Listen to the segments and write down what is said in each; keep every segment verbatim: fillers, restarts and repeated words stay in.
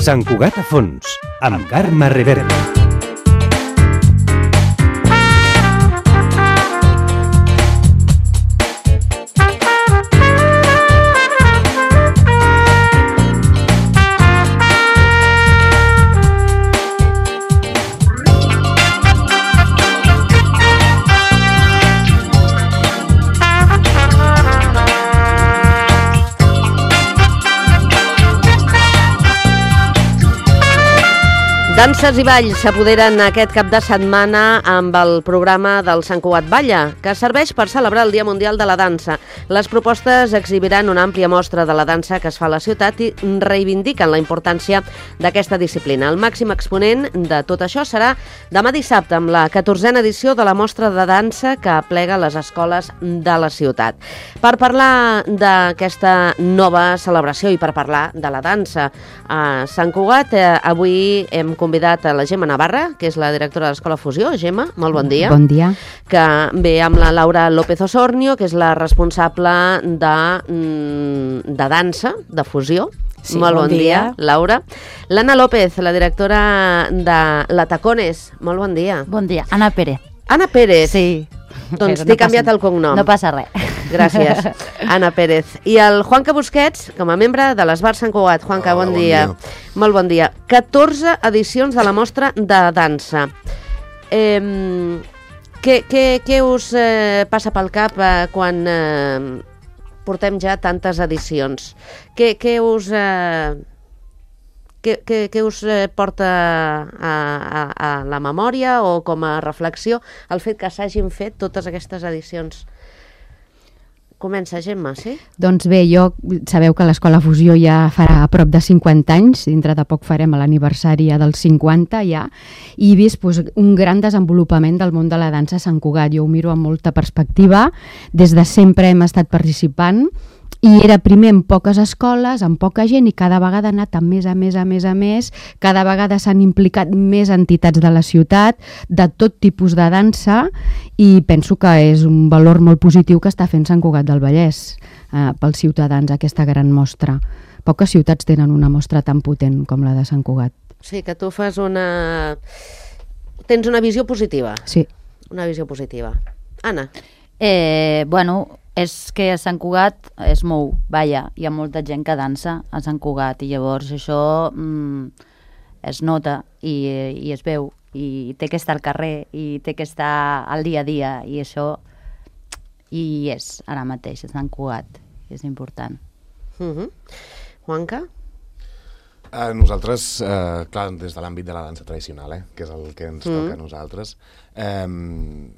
Sant Cugat a fons, amb Carme Rivera. Danses i balls s'apoderen aquest cap de setmana amb el programa del Sant Cugat Balla, que serveix per celebrar el Dia Mundial de la Dansa. Les propostes exhibiran una àmplia mostra de la dansa que es fa a la ciutat i reivindiquen la importància d'aquesta disciplina. El màxim exponent de tot això serà demà dissabte, amb la catorzena edició de la mostra de dansa que aplega les escoles de la ciutat. Per parlar d'aquesta nova celebració i per parlar de la dansa a Sant Cugat, eh, avui hem convidat a la Gemma Navarra, que és la directora de l'Escola Fusió. Gemma, molt bon dia. Bon dia. Que ve amb la Laura López Osornio, que és la responsable de, de dansa, de fusió. Sí, molt bon, bon dia. dia, Laura. L'Anna López, la directora de la Tacones. Molt bon dia. Bon dia. Anna Pérez. Anna Pérez. Sí. Doncs no t'he canviat el cognom. No passa res. Gràcies, Anna Pérez. I el Juanca Busquets, com a membre de l'Esbar Sant Cugat. Juanca, Hola, bon, bon dia. dia. Molt bon dia. catorze edicions de la mostra de dansa. Eh, què, què, què us eh, passa pel cap eh, quan eh, portem ja tantes edicions? Què, què us... Eh, Què, què, què us porta a, a, a la memòria o com a reflexió el fet que s'hagin fet totes aquestes edicions? Comença, Gemma, sí? Doncs bé, jo, sabeu que l'Escola Fusió ja farà a prop de cinquanta anys, dintre de poc farem l'aniversari dels cinquanta ja, i he vist doncs, un gran desenvolupament del món de la dansa a Sant Cugat. Jo ho miro amb molta perspectiva, des de sempre hem estat participant, i era primer en poques escoles, amb poca gent, i cada vegada ha anat a més, a més, a més, a més. Cada vegada s'han implicat més entitats de la ciutat, de tot tipus de dansa, i penso que és un valor molt positiu que està fent Sant Cugat del Vallès eh, pels ciutadans, aquesta gran mostra. Poques ciutats tenen una mostra tan potent com la de Sant Cugat. Sí, que tu fas una... Tens una visió positiva. Sí. Una visió positiva. Anna. Eh, bueno... És que a Sant Cugat es mou, vaja, hi ha molta gent que dansa a Sant Cugat i llavors això mm, es nota i, i es veu i té que estar al carrer i té que estar al dia a dia i això i és ara mateix a Sant Cugat, és important. Uh-huh. Juanca? Eh, nosaltres, eh, clar, des de l'àmbit de la dansa tradicional, eh, que és el que ens Mm. toca a nosaltres, eh,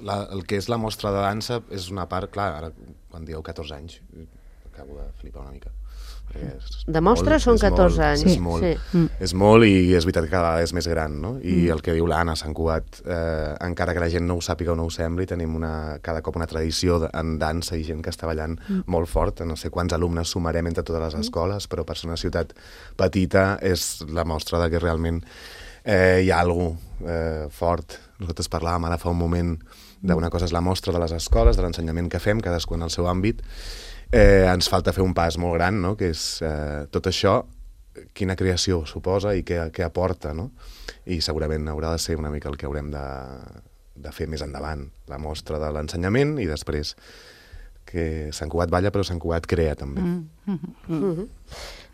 La, el que és la mostra de dansa és una part, clar, ara quan dieu catorze anys, acabo de flipar una mica. És De mostra molt, són és catorze molt, anys. És molt, Sí. Mm. és molt i és veritat que cada vegada és més gran, no? I el que diu l'Anna, Sant Cugat, eh, encara que la gent no ho sàpiga o no ho sembli, tenim una, cada cop una tradició de, en dansa i gent que està ballant mm. molt fort. No sé quants alumnes sumarem entre totes les escoles, però per ser una ciutat petita és la mostra de que realment eh, hi ha alguna cosa eh, fort. Nosaltres parlàvem ara fa un moment d'una cosa és la mostra de les escoles, de l'ensenyament que fem, cadascú en el seu àmbit. Eh, ens falta fer un pas molt gran, no? Que és eh, tot això, quina creació suposa i què, què aporta, no? I segurament haurà de ser una mica el que haurem de, de fer més endavant, la mostra de l'ensenyament i després que Sant Cugat balla, però Sant Cugat crea també. Mm. Mm. Mm. Uh-huh.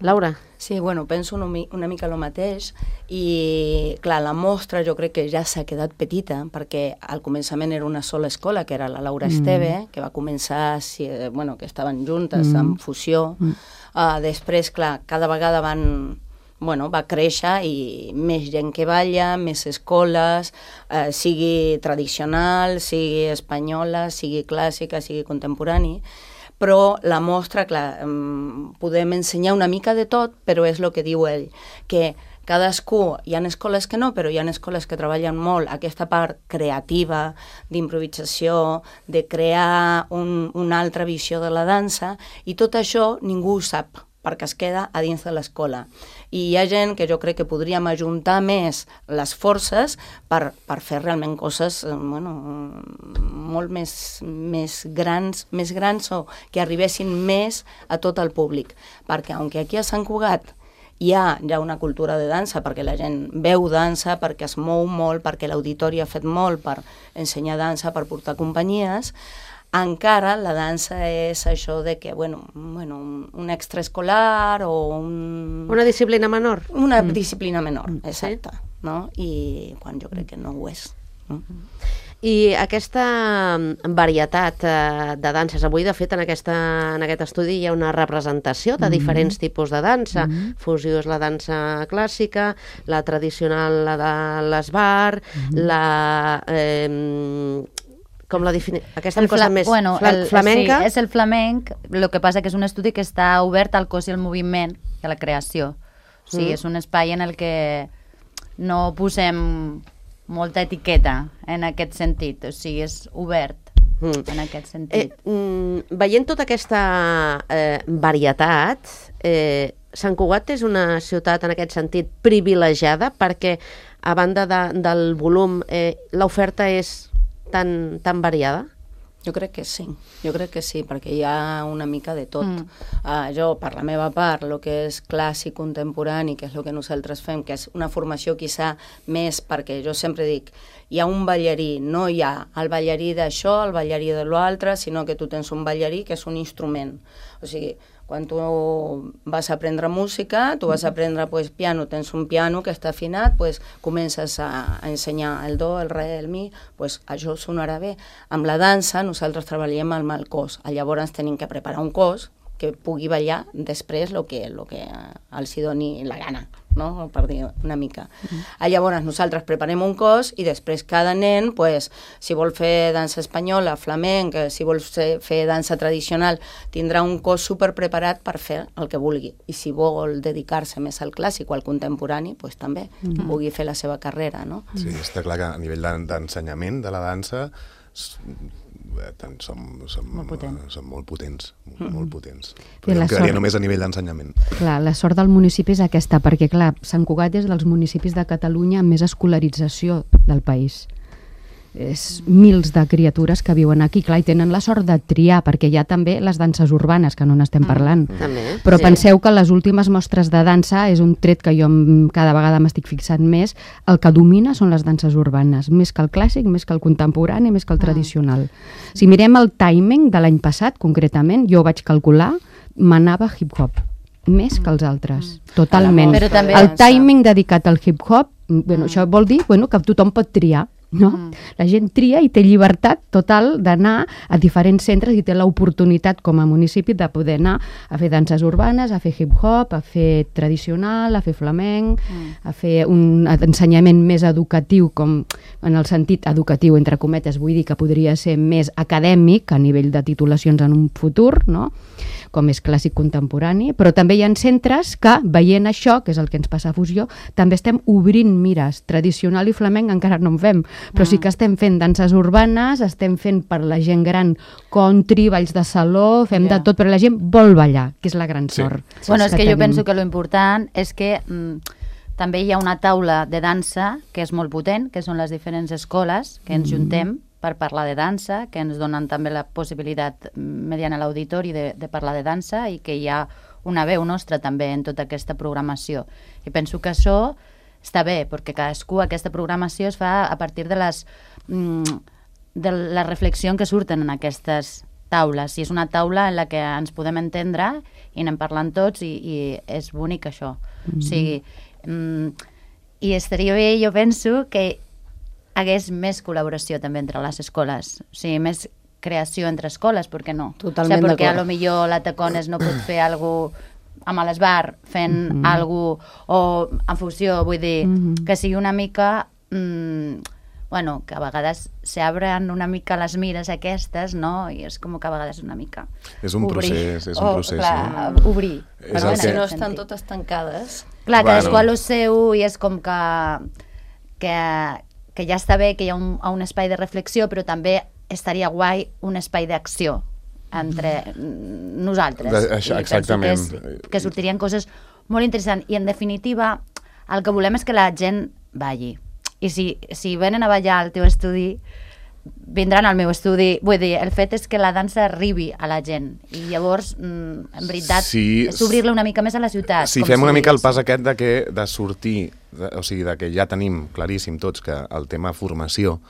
Laura? Sí, bueno, penso una, una mica el mateix i, clar, la mostra jo crec que ja s'ha quedat petita perquè al començament era una sola escola, que era la Laura Mm. Esteve, que va començar, si, bueno, que estaven juntes Mm. amb fusió. Mm. Uh, després, clar, cada vegada van... Bueno, va créixer i més gent que balla, més escoles, eh, sigui tradicional, sigui espanyola, sigui clàssica, sigui contemporani, però la mostra, clar, podem ensenyar una mica de tot, però és el que diu ell, que cadascú, hi ha escoles que no, però hi ha escoles que treballen molt aquesta part creativa, d'improvisació, de crear un, una altra visió de la dansa, i tot això ningú ho sap, perquè es queda a dins de l'escola. I hi ha gent que jo crec que podríem ajuntar més les forces per, per fer realment coses bueno, molt més, més grans, més grans o que arribessin més a tot el públic. Perquè, aunque aquí a Sant Cugat hi ha ja una cultura de dansa, perquè la gent veu dansa, perquè es mou molt, perquè l'auditori ha fet molt per ensenyar dansa, per portar companyies, encara la dansa és això de que, bueno, bueno un extraescolar o un... Una disciplina menor. Una mm. disciplina menor, exacte, sí. no? I quan jo crec que no ho és. No? I aquesta varietat eh, de danses, avui de fet en, aquesta, en aquest estudi hi ha una representació de diferents mm-hmm. tipus de dansa. Mm-hmm. Fusió és la dansa clàssica, la tradicional, la de l'esbar, mm-hmm. la... Eh, com la defini... Aquesta cosa més bueno, fla el, flamenca? Sí, és el flamenc, el que passa que és un estudi que està obert al cos i al moviment i a la creació. O sigui, mm. és un espai en el que no posem molta etiqueta en aquest sentit, o sigui, és obert mm. en aquest sentit. Eh, mm, veient tota aquesta eh, varietat, eh, Sant Cugat és una ciutat en aquest sentit privilegiada perquè, a banda de, del volum, eh, l'oferta és tan, tan variada? Jo crec que sí, jo crec que sí, perquè hi ha una mica de tot. Mm. Uh, jo, per la meva part, el que és clàssic contemporani, que és el que nosaltres fem, que és una formació quizà més, perquè jo sempre dic, hi ha un ballarí, no hi ha el ballarí d'això, el ballarí de l'altre, sinó que tu tens un ballarí que és un instrument. O sigui, quan tu vas a aprendre música, tu vas a aprendre pues, piano, tens un piano que està afinat, pues, comences a, a ensenyar el do, el re, el mi, pues, això sonarà bé. Amb la dansa nosaltres treballem amb el cos, llavors tenim que preparar un cos que pugui ballar després el que, lo que els hi doni la gana, no? Per dir una mica. Mm-hmm. Llavors nosaltres preparem un cos i després cada nen, pues, si vol fer dansa espanyola, flamenc, si vol fer dansa tradicional, tindrà un cos super preparat per fer el que vulgui. I si vol dedicar-se més al clàssic o al contemporani, pues, també mm-hmm. pugui fer la seva carrera. No? Sí, està clar que a nivell d'ensenyament de la dansa tant, som, som, molt potents. som molt potents, mm-hmm. molt potents. Però em quedaria sort... només a nivell d'ensenyament. Clar, la sort del municipi és aquesta, perquè clar, Sant Cugat és dels municipis de Catalunya amb més escolarització del país. És mils de criatures que viuen aquí, clar, i tenen la sort de triar, perquè hi ha també les danses urbanes, que no n'estem parlant. Mm, també, però sí. Penseu que les últimes mostres de dansa és un tret que jo cada vegada m'estic fixant més, el que domina són les danses urbanes, més que el clàssic, més que el contemporani, més que el ah. tradicional. Si mirem el timing de l'any passat, concretament, jo vaig calcular, m'anava hip-hop més que els altres, mm. totalment. Però també el timing dedicat al hip-hop, bueno, mm. això vol dir bueno, que tothom pot triar, no? Mm. La gent tria i té llibertat total d'anar a diferents centres i té l'oportunitat com a municipi de poder anar a fer danses urbanes, a fer hip-hop, a fer tradicional, a fer flamenc, mm. a fer un ensenyament més educatiu, com en el sentit educatiu, entre cometes, vull dir que podria ser més acadèmic a nivell de titulacions en un futur, no? Com és clàssic contemporani, però també hi ha centres que, veient això, que és el que ens passa a Fusió, també estem obrint mires. Tradicional i flamenc encara no en fem, però sí que estem fent danses urbanes, estem fent per la gent gran country, balls de saló, fem yeah. de tot, però la gent vol ballar, que és la gran sí. sort. Sí. Bueno, és que, que tenim. jo penso que lo important és que mm, també hi ha una taula de dansa que és molt potent, que són les diferents escoles que ens mm. juntem per parlar de dansa, que ens donen també la possibilitat, mediant l'auditori, de, de parlar de dansa i que hi ha una veu nostra també en tota aquesta programació. I penso que això està bé, perquè cadascú, aquesta programació es fa a partir de les de la reflexió que surten en aquestes taules. I és una taula en la que ens podem entendre i anem parlant tots i, i és bonic això. Mm-hmm. O sigui, mm, i estaria bé, jo penso, que hagués més col·laboració també entre les escoles, o sigui, més creació entre escoles, per què no? Totalment o sigui, perquè d'acord. a lo millor la Tacones no pot fer alguna cosa amb l'esbar, fent mm-hmm. alguna cosa, o en fusió, vull dir, mm-hmm. que sigui una mica, mm, bueno, que a vegades s'obren una mica les mires aquestes, no? I és com que a vegades una mica és un obrir. procés, és un o, procés, clar, no? obrir. És Però el si que- no estan totes tancades... Clar, Bueno. cadascú a lo seu i és com que, que, que ja està bé que hi ha un, un espai de reflexió, però també estaria guai un espai d'acció entre nosaltres. De- això, I penso exactament. Que, és, que sortirien coses molt interessants. I en definitiva, el que volem és que la gent balli. I si, si venen a ballar al teu estudi, vindran al meu estudi. Vull dir, el fet és que la dansa arribi a la gent i llavors, mm, en veritat, Sí, és obrir-la una mica més a la ciutat. Si com fem una si mica el digués. pas aquest de, que, de sortir, de, o sigui, de que ja tenim claríssim tots que el tema formació,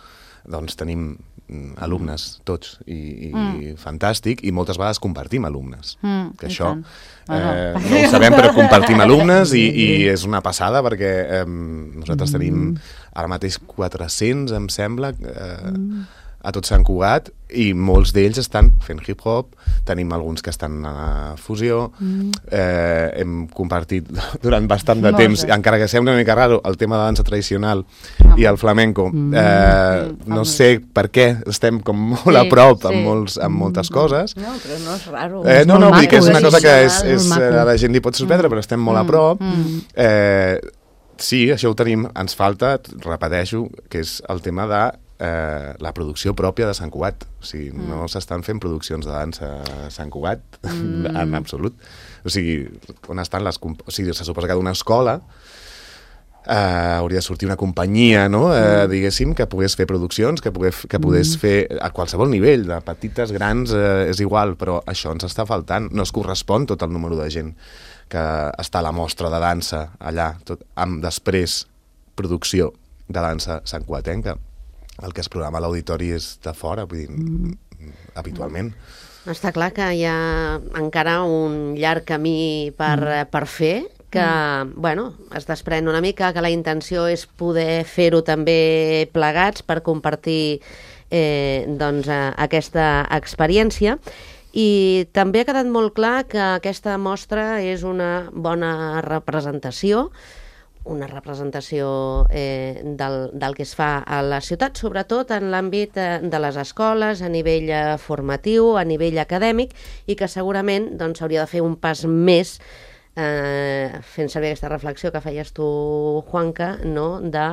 doncs tenim mm, alumnes tots i, i mm. fantàstic, i moltes vegades compartim alumnes. Mm, que i això tant. eh, no ho sabem, però compartim alumnes i, i és una passada perquè eh, nosaltres tenim ara mateix quatre-cents, em sembla, eh, a tot Sant Cugat, i molts d'ells estan fent hip-hop, tenim alguns que estan a fusió, mm. eh, hem compartit durant bastant de Molt temps, bé. encara que sembla una mica raro, el tema de dansa tradicional Ah. i el flamenco. Mm. Eh, Mm. no sé per què estem com molt Sí, a prop sí. amb, molts, amb moltes coses. No, però no és raro. Eh, no, molt no, vull dir que és maco, una eh? cosa que és, Molt és, maco. a la gent li pot sorprendre, però estem molt a prop. Mm. Eh, sí, això ho tenim. Ens falta, repeteixo, que és el tema de eh, la producció pròpia de Sant Cugat. O sigui, mm. no s'estan fent produccions de dansa a Sant Cugat, mm. en absolut. O sigui, on estan les... comp- O sigui, se suposa que d'una escola eh, hauria de sortir una companyia, no? eh, diguéssim, que pogués fer produccions, que pogués, que pogués fer a qualsevol nivell, de petites, grans, eh, és igual, però això ens està faltant. No es correspon tot el número de gent que està a la mostra de dansa allà, tot, amb després producció de dansa santcugatenca. El que es programa a l'auditori és de fora, vull dir, mm. habitualment. Està clar que hi ha encara un llarg camí per, mm. per fer, que, mm. bueno, es desprèn una mica, que la intenció és poder fer-ho també plegats per compartir eh, doncs, eh, aquesta experiència. I també ha quedat molt clar que aquesta mostra és una bona representació, una representació eh, del, del que es fa a la ciutat, sobretot en l'àmbit eh, de les escoles, a nivell eh, formatiu, a nivell acadèmic, i que segurament doncs, hauria de fer un pas més, eh, fent servir aquesta reflexió que feies tu, Juanca, no? de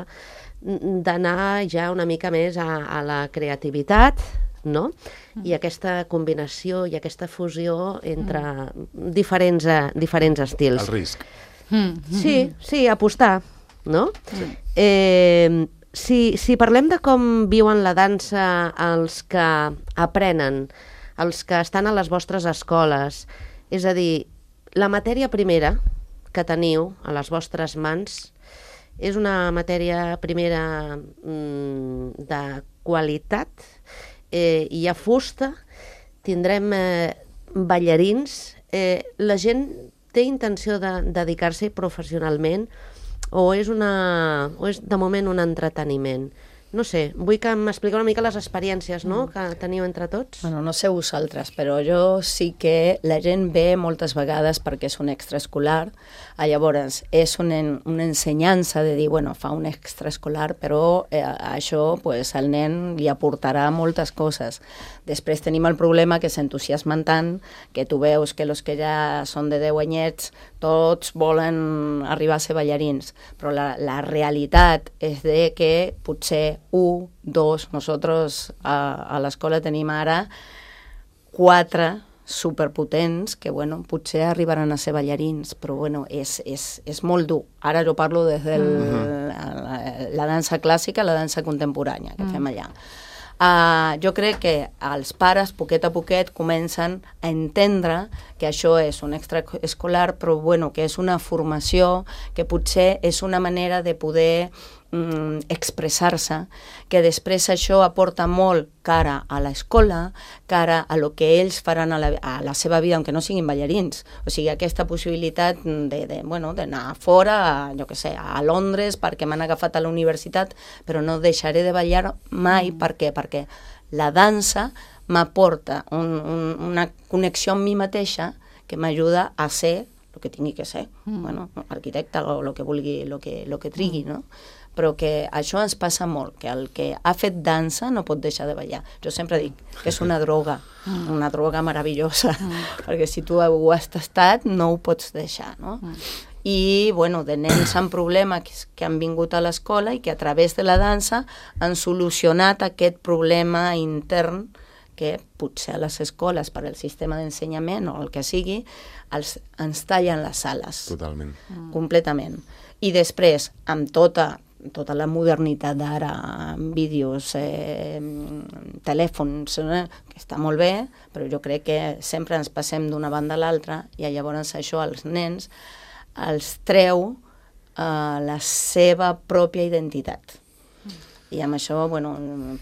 d'anar ja una mica més a, a la creativitat, no? I aquesta combinació i aquesta fusió entre diferents, eh, diferents estils. El risc. Mm. Sí, sí, apostar, no? Eh, si, si parlem de com viuen la dansa els que aprenen, els que estan a les vostres escoles, és a dir, la matèria primera que teniu a les vostres mans és una matèria primera mm, de qualitat, eh, hi ha fusta, tindrem eh, ballarins, eh, la gent té intenció de dedicar-s'hi professionalment o és, una, o és de moment un entreteniment? No sé, vull que m'expliqueu una mica les experiències, no?, que teniu entre tots. Bueno, no sé vosaltres, però jo sí que la gent ve moltes vegades perquè és un extraescolar, llavors és una, una ensenyança de dir, bueno, fa un extraescolar, però eh, això pues, al nen li aportarà moltes coses. Després tenim el problema que s'entusiasmen tant que tu veus que els que ja són de deu anyets tots volen arribar a ser ballarins, però la, la realitat és de que potser un, dos, nosaltres a, a l'escola tenim ara quatre superpotents que, bueno, potser arribaran a ser ballarins, però, bueno, és, és, és molt dur. Ara jo parlo des de mm. la, la dansa clàssica, la dansa contemporània que mm. fem allà. Uh, jo crec que els pares, poquet a poquet, comencen a entendre que això és un extraescolar, però, bueno, que és una formació, que potser és una manera de poder mm, expressar-se, que després això aporta molt cara a l'escola, cara a lo que ells faran a la, a la seva vida, aunque no siguin ballarins. O sigui, aquesta possibilitat de, de, bueno, d'anar fora, a, jo què sé, a Londres, perquè m'han agafat a la universitat, però no deixaré de ballar mai. Mm. Per què? Perquè la dansa m'aporta un, un, una connexió amb mi mateixa que m'ajuda a ser el que tingui que ser, mm. bueno, arquitecte o el que vulgui, el que, lo que trigui, no? Però que això ens passa molt, que el que ha fet dansa no pot deixar de ballar. Jo sempre dic que és una droga, mm. una droga meravellosa, mm. perquè si tu ho has tastat no ho pots deixar, no? Mm. I, bueno, de nens amb problemes que han vingut a l'escola i que a través de la dansa han solucionat aquest problema intern que potser a les escoles, per al sistema d'ensenyament o el que sigui, els, ens tallen les sales. Totalment. Mm. Completament. I després, amb tota tota la modernitat d'ara, vídeos, eh, telèfons, eh, que està molt bé, però jo crec que sempre ens passem d'una banda a l'altra i llavors això als nens els treu eh, la seva pròpia identitat. I amb això, bueno,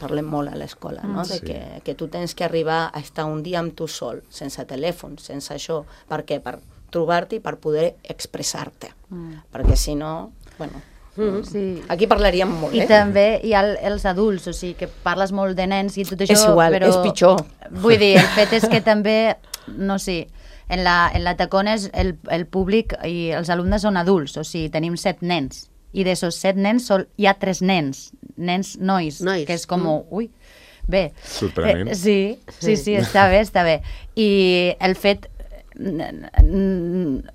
parlem molt a l'escola, no? De Sí. que, que tu tens que arribar a estar un dia amb tu sol, sense telèfon, sense això. Per què? Per trobar-te i per poder expressar-te. Mm. Perquè si no, bueno, mm. Sí. aquí parlaríem molt, I eh? també hi ha el- els adults, o sigui, que parles molt de nens i tot això, És igual, però... és pitjor. Vull dir, el fet és que també, no sé, en la, en la Tacones el, el públic i els alumnes són adults, o sigui, tenim set nens, i d'aquests set nens sol, hi ha tres nens, nens nois, Nois. que és com, mm. ui, bé. Sorprenent. Eh, sí, sí, sí, està bé, està bé. I el fet,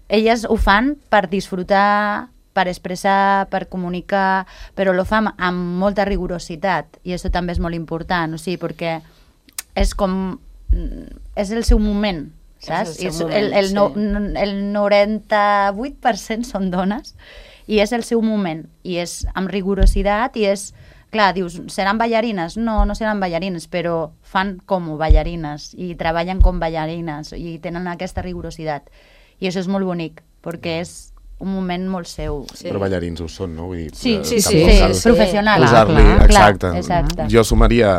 elles ho fan per disfrutar, per expressar, per comunicar, però lo fan amb molta rigorositat, i això també és molt important, o sigui, perquè és com, és el seu moment, saps? És el seu I el, moment, el, no, sí. el noranta-vuit per cent són dones, i és el seu moment, i és amb rigorositat, i és, clar, dius, seran ballarines? No, no seran ballarines, però fan com ballarines, i treballen com ballarines, i tenen aquesta rigorositat. I això és molt bonic, perquè és un moment molt seu. Sí. Però ballarins ho són, no? Vull dir, Sí, eh, sí, sí, tampoc sí, cal és professional. posar-li, Clar, clar, exacte. exacte. Jo sumaria,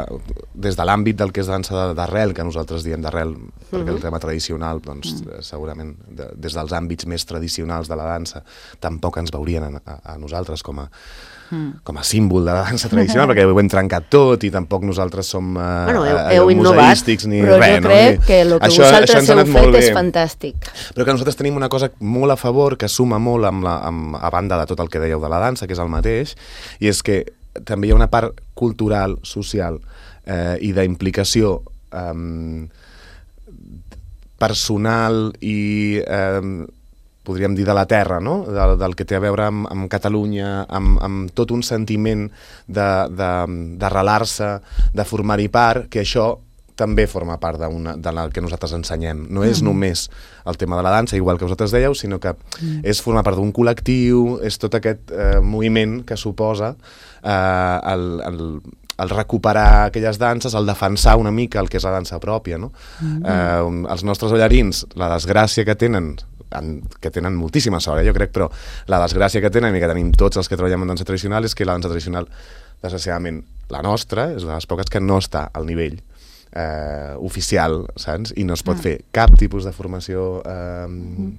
des de l'àmbit del que és dansa de- d'arrel, que nosaltres diem d'arrel, perquè el tema tradicional, doncs, eh, segurament, de, des dels àmbits més tradicionals de la dansa, tampoc ens veurien a, a, a nosaltres com a, com a símbol de la dansa tradicional, perquè ho hem trencat tot i tampoc nosaltres som eh, Bueno, heu- eh, heu innovat, museístics ni Però res. jo crec no? que el que Això- això vosaltres ens ha heu anat molt fet és bé. fantàstic. Però que nosaltres tenim una cosa molt a favor, que suma molt amb la, amb, a banda de tot el que dèieu de la dansa, que és el mateix, i és que també hi ha una part cultural, social eh, i d'implicació eh, personal i eh, podríem dir de la terra, no? del, del que té a veure amb, amb Catalunya, amb, amb tot un sentiment d'arrelar-se, de formar-hi part, que això també forma part d'una, de la que nosaltres ensenyem. No és només el tema de la dansa, igual que vosaltres dèieu, sinó que és formar part d'un col·lectiu, és tot aquest eh, moviment que suposa eh, el, el, el recuperar aquelles danses, el defensar una mica el que és la dansa pròpia. No? Mm. Eh, els nostres ballarins, la desgràcia que tenen, en, que tenen moltíssima sort, eh, jo crec, però la desgràcia que tenen i que tenim tots els que treballem en dansa tradicional és que la dansa tradicional, desgraciadament, la nostra, és de les poques que no està al nivell eh, oficial, saps? I no es pot Ah. fer cap tipus de formació eh, mm.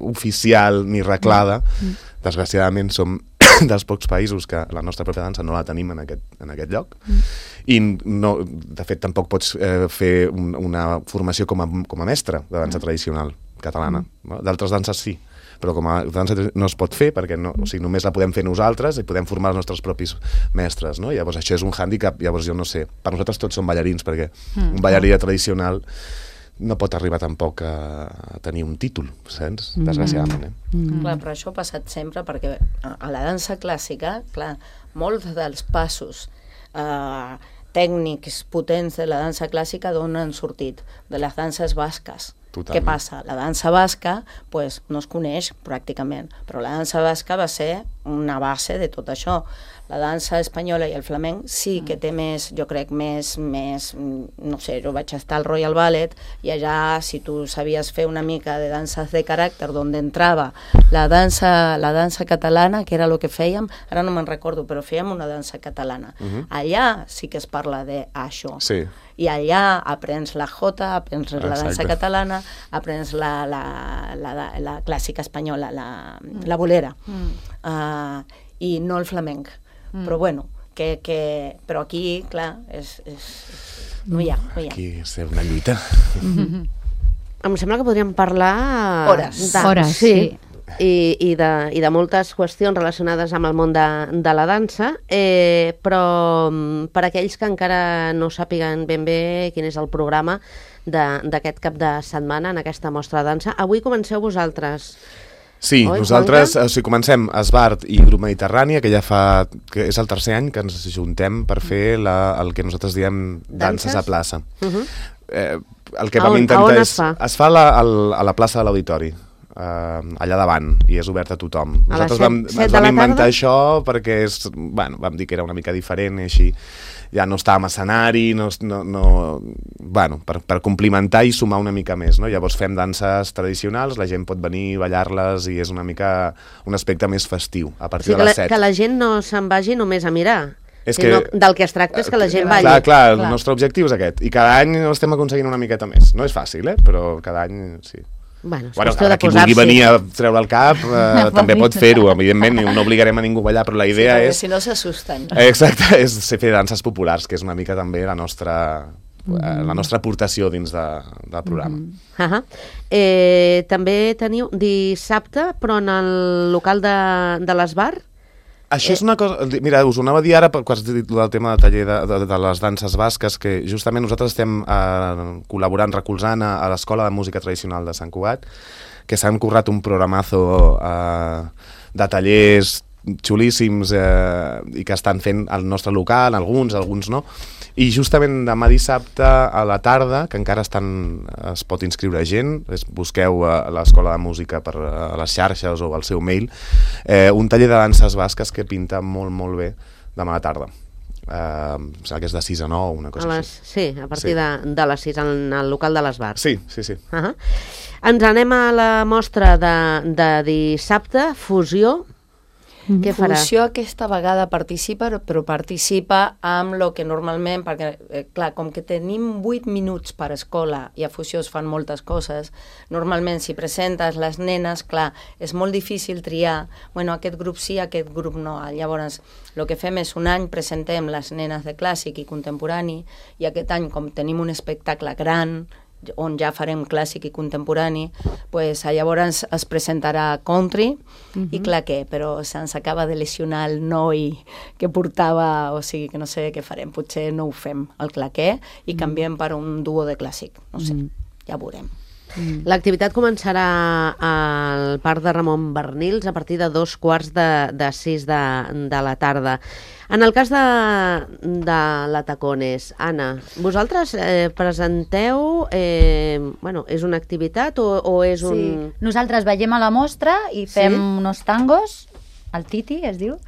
oficial ni reglada. Mm. Desgraciadament som dels pocs països que la nostra pròpia dansa no la tenim en aquest, en aquest lloc. Mm. I no, de fet tampoc pots eh, fer un, una formació com a, com a mestre de dansa tradicional catalana. Mm. D'altres danses sí, però com a dansa no es pot fer perquè no, o sigui, només la podem fer nosaltres i podem formar els nostres propis mestres, no? Llavors això és un hàndicap, llavors jo no sé, per nosaltres tots som ballarins perquè mm. un ballarí tradicional no pot arribar tampoc a, a tenir un títol, saps? Desgraciadament, eh? Mm. Clar, però això ha passat sempre perquè a, a la dansa clàssica, clar, molts dels passos eh, tècnics potents de la dansa clàssica d'on han sortit? De les danses basques. Totalment. Què passa? La dansa basca pues, no es coneix pràcticament, però la dansa basca va ser una base de tot això. La dansa espanyola i el flamenc sí que té més, jo crec, més, més, no sé, jo vaig estar al Royal Ballet i allà, si tu sabies fer una mica de danses de caràcter, d'on entrava la dansa, la dansa catalana, que era el que fèiem, ara no me'n recordo, però fèiem una dansa catalana. Uh-huh. Allà sí que es parla d'això. Sí. I allà aprens la jota, aprens la dansa Exacte. catalana, aprens la, la, la, la, la clàssica espanyola, la, la bolera, mm. uh, i no el flamenc. Mm. Però bueno, que, que, però aquí, clar, és, és, no hi ha. No hi ha. Aquí és una lluita. Mm-hmm. Em sembla que podríem parlar... Hores. De, Hores, sí. sí. I, i, de, i de moltes qüestions relacionades amb el món de, de la dansa, eh, però mm, per aquells que encara no sàpiguen ben bé quin és el programa d'aquest cap de setmana en aquesta mostra de dansa, avui comenceu vosaltres. Sí, Oi, nosaltres Juanca? o sigui, comencem Esbart i Grup Mediterrània, que ja fa, que és el tercer any que ens juntem per fer la, el que nosaltres diem danses, Danses? a plaça. Uh -huh. eh, el que A vam on- intentar a on és... es fa? Es fa a la, al, a la plaça de l'Auditori. uh, allà davant, i és obert a tothom. A les Nosaltres set- vam, set ens de vam la inventar tarda? això perquè és, bueno, vam dir que era una mica diferent i així ja no estàvem a escenari, no, no, no, bueno, per, per complimentar i sumar una mica més, no? Llavors fem danses tradicionals, la gent pot venir, ballar-les, i és una mica un aspecte més festiu, a O partir sigui, que de la, les set. que la gent no se'n vagi només a mirar, És sinó que- del que es tracta és que la gent balli. Clar, clar, el Clar. nostre objectiu és aquest, i cada any estem aconseguint una miqueta més. No és fàcil, eh? Però cada any sí. Bueno, és Bueno, qüestió de qui vulgui posar-s'hi. venir a treure el cap eh, també pot fer-ho, evidentment, no obligarem a ningú a ballar, però la idea sí, és... si no s'assusten. Exacte, és fer danses populars, que és una mica també la nostra, eh, la nostra aportació dins de, del programa. Uh -huh. eh, també teniu dissabte, però en el local de, de l'Esbar? Això és una cosa... Mira, us ho anava a dir ara quan has dit del tema del taller de, de, de les danses basques, que justament nosaltres estem eh, col·laborant, recolzant a, a l'Escola de Música Tradicional de Sant Cugat, que s'han currat un programazo eh, de tallers xulíssims eh, i que estan fent al nostre local, alguns, alguns no, i justament demà dissabte a la tarda, que encara estan, es pot inscriure gent, es, busqueu a l'Escola de Música per a les xarxes o al seu mail, eh, un taller de danses basques que pinta molt, molt bé demà a la tarda. Eh, em sembla que és de sis a nou, una cosa A les, així. sí, a partir Sí. de, de les sis, en el local de l'Esbar. Sí, sí, sí. Uh -huh. Ens anem a la mostra de, de dissabte, Fusió. Què farà? Fusió aquesta vegada participa, però participa amb el que normalment, perquè, eh, clar, com que tenim vuit minuts per escola i a Fusió es fan moltes coses, normalment si presentes les nenes, clar, és molt difícil triar, bueno, aquest grup sí, aquest grup no. Llavors, el que fem és un any presentem les nenes de clàssic i contemporani, i aquest any, com tenim un espectacle gran, on ja farem clàssic i contemporani, pues, llavors es presentarà country, uh-huh. i clar què, però se'ns acaba de lesionar el noi que portava, o sigui que no sé què farem, potser no ho fem, el claquer, i canviem per un duo de clàssic, no sé, uh-huh. ja veurem. L'activitat començarà al Parc de Ramon Bernils a partir de dos quarts de, de sis de, de la tarda. En el cas de, de la Tacones, Anna, vosaltres eh, presenteu, eh, bueno, és una activitat o, o és un... Sí. Nosaltres veiem a la mostra i fem Sí? unos tangos, el Titi es diu,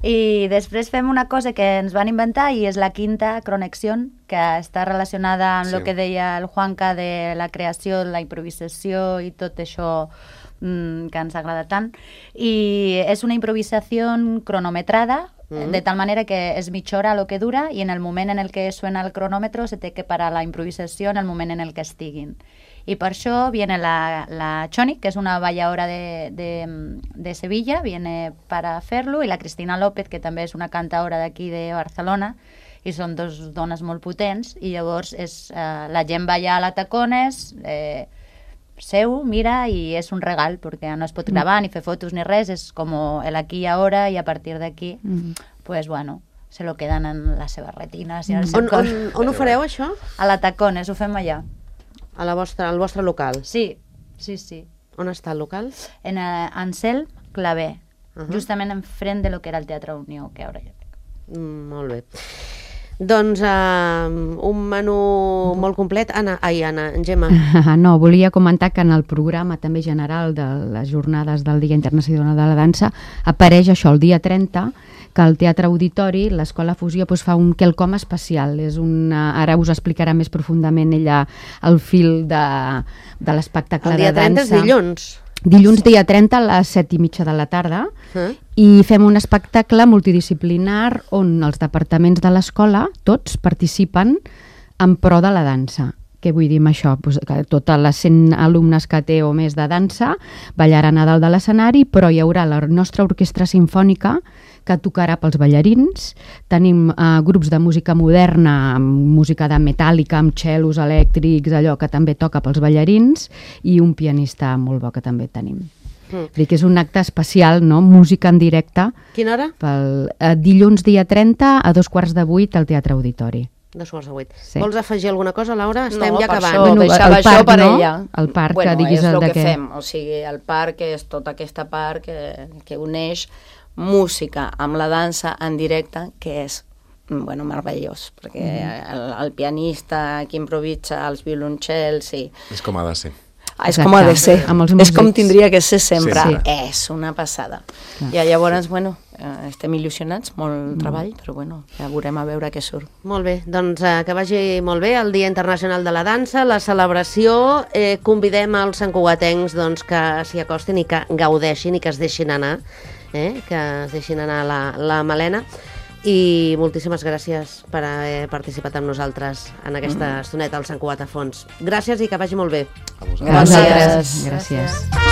i després fem una cosa que ens van inventar i és la quinta Cronexió, que està relacionada amb Sí. el que deia el Juanca de la creació, la improvisació i tot això mmm, que ens agrada tant. I és una improvisació cronometrada, Mm. de tal manera que es mitja hora lo que dura y en el moment en el que suena el cronòmetre se té que parar la improvisació en el moment en el que estiguin. I per això viene la, la Choni, que és una balladora de, de, de Sevilla, viene para fer-lo, i la Cristina López, que també és una cantaora d'aquí de Barcelona, i són dos dones molt potents, i llavors és, eh, la gent balla a la Tacones, eh, seu, mira, i és un regal, perquè no es pot gravar ni fer fotos ni res, és com el aquí i ahora, i a partir d'aquí, Mm. pues bueno, se lo quedan en les seves retines i en el On, seu cor. on, on ho fareu, això? A la Tacones, ho fem allà. A la vostra, al vostre local. Sí, sí, sí. On està el local? En uh, Ansel Clavé, Uh-huh. justament enfrent de lo que era el Teatre Unió, que ara ja... Mm, molt bé. Doncs uh, un menú molt complet. Anna, ai, Anna, Gemma. No, volia comentar que en el programa també general de les jornades del Dia Internacional de la Dansa apareix això, el dia trenta, que al Teatre Auditori l'Escola Fusió doncs, fa un quelcom especial. És una, ara us explicarà més profundament ella el fil de, de l'espectacle El de dia trenta és dansa. dilluns. Dilluns dia trenta a les set i mitja de la tarda, Eh? i fem un espectacle multidisciplinar on els departaments de l'escola, tots, participen en pro de la dansa. Què vull dir amb això? Pues que totes les cent alumnes que té o més de dansa ballaran a dalt de l'escenari, però hi haurà la nostra orquestra simfònica que tocarà pels ballarins. Tenim eh, grups de música moderna, amb música de metàl·lica, amb cellos elèctrics, allò que també toca pels ballarins, i un pianista molt bo que també tenim. Mm. Vull dir que és un acte especial, no? Música en directe, Quina hora? pel eh, dilluns dia trenta a dos quarts de vuit al Teatre Auditori. Dos quarts de vuit. Sí. Vols afegir alguna cosa, Laura? Estem no, ja per acabant. Això, Bueno, deixava el això parc, per no? ella. El parc, bueno, que diguis és el el de que què. fem. O sigui, el parc és tota aquesta part que, que uneix música amb la dansa en directe, que és bueno, meravellós, perquè el, el pianista que improvisa, els violoncels, i És com ha de ser. és com ha de ser, és com tindria que ser sempre, Sí. és una passada. Clar. I llavors, bueno, eh, estem il·lusionats, molt treball, però bueno, ja veurem a veure què surt. Molt bé, doncs eh, que vagi molt bé el Dia Internacional de la Dansa, la celebració, eh, convidem als santcugatencs doncs, que s'hi acostin i que gaudeixin i que es deixin anar, eh, que es deixin anar la, la Malena. I moltíssimes gràcies per haver participat amb nosaltres en aquesta estoneta al Sant Cugat a Fons. Gràcies i que vagi molt bé. A vosaltres. Gràcies. Gràcies.